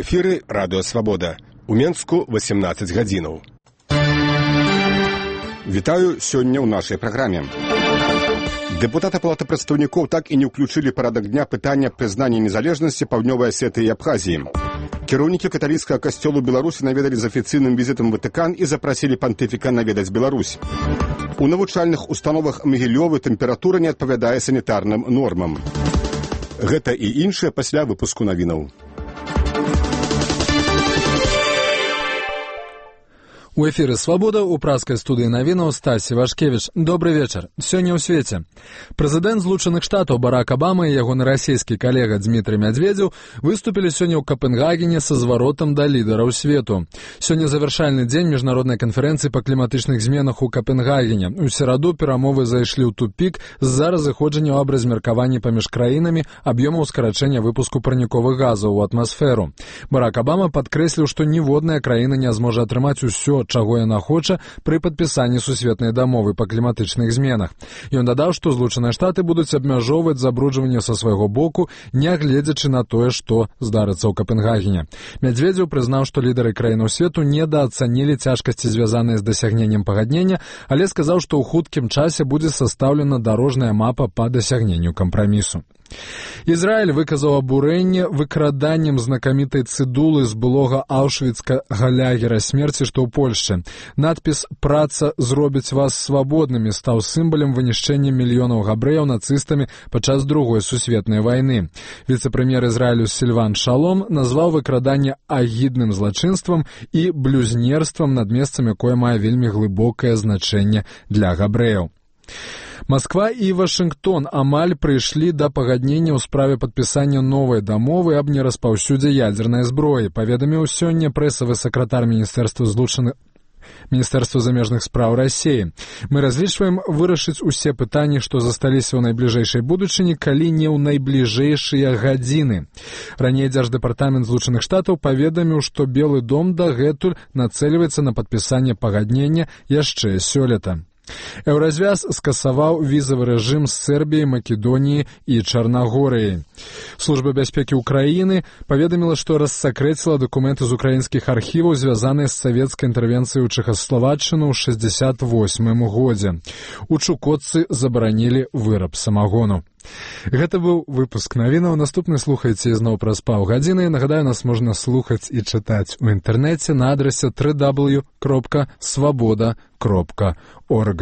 У эфіры радыё «Свабода». У Менску 18 гадзінаў. Вітаю сёння ў нашай праграме. Дэпутаты Палаты прадстаўнікоў так і не ўключылі парадак дня пытання прызнання незалежнасці Паўднёвай Асетыі і Абхазіі. Кіраўнікі каталіцкага касцёлу Беларусі наведалі з афіцыйным візітам Ватыкан і запрасілі пантыфіка наведаць Беларусь. У навучальных установах Магілёвы тэмпература не адпавядае санітарным нормам. Гэта і іншае пасля выпуску навінаў. У эфіры «Свабода» у праскай студыі навінаў Стасі Вашкевіч. Добры вечар. Сёння ў свеце. Прэзідэнт Злучаных Штатаў Барак Абама і ягоны расійскі калега Дмітрый Мядзведзеў выступілі сёння ў Капенгагене са зваротам да лідараў свету. Сёння завяршальны дзень міжнароднай канферэнцыі па кліматычных зменах у Капенгагене. У сераду перамовы зайшлі ў тупік з-за разыходжання аб размеркаванні паміж краінамі аб'ёмаў скарачэння выпуску парніковых газаў у атмасферу. Барак Абама падкрэсліў, што ніводная краіна не зможа атрымаць усё, чаго яна хоча пры падпісанні сусветнай дамовы па кліматычных зменах. Ён дадаў, што Злучаныя Штаты будуць абмяжоўваць забруджванне са свайго боку, нягледзячы на тое, што здарыцца ў Капенгагене. Мядзведзеў прызнаў, што лідары краінаў свету недаацанілі цяжкасці, звязаныя з дасягненнем пагаднення, але сказаў, што ў хуткім часе будзе састаўлена дарожная мапа па дасягненню кампрамісу. Ізраіль выказаў абурэнне выкраданнем знакамітай цыдулы з былога аўшвіцкага лягера смерці, што ў Польшчы. Надпіс «Праца зробіць вас свабоднымі» стаў сімвалам вынішчэння мільёнаў габрэяў нацыстамі падчас Другой сусветнай вайны. Віцэ-прэм'ер Ізраілю Сільван Шалом назваў выкраданне агідным злачынствам і блюзнерствам над месцам, якое мае вельмі глыбокае значэнне для габрэяў. Масква і Вашынгтон амаль прыйшлі да пагаднення ў справе падпісання новай дамовы аб нераспаўсюдзе ядзернай зброі, паведаміў сёння прэсавы сакратар Міністэрства замежных спраў Расіі. Мы разлічваем вырашыць усе пытанні, што засталіся ў найбліжэйшай будучыні, калі не ў найбліжэйшыя гадзіны. Раней Дзярждэпартамент Злучаных Штатаў паведаміў, што Белы дом дагэтуль нацэльваецца на падпісанне пагаднення яшчэ сёлета. Еўразвяз скасаваў візавы рэжым з Сербіяй, Македоніяй і Чарнагорыяй. Служба бяспекі ўкраіны паведаміла, што рассакрэціла дакументы з украінскіх архіваў, звязаныя з савецкай інтэрвенцыяй ў Чэхаславаччыну ў 1968 годзе. У Чукотцы забаранілі выраб самагону. Гэта быў выпуск навінаў. Наступны слухайце ізноў праз паўгадзіны. Нагадаю, нас можна слухаць і чытаць у інтэрнэце на адрасе www.swaboda.org.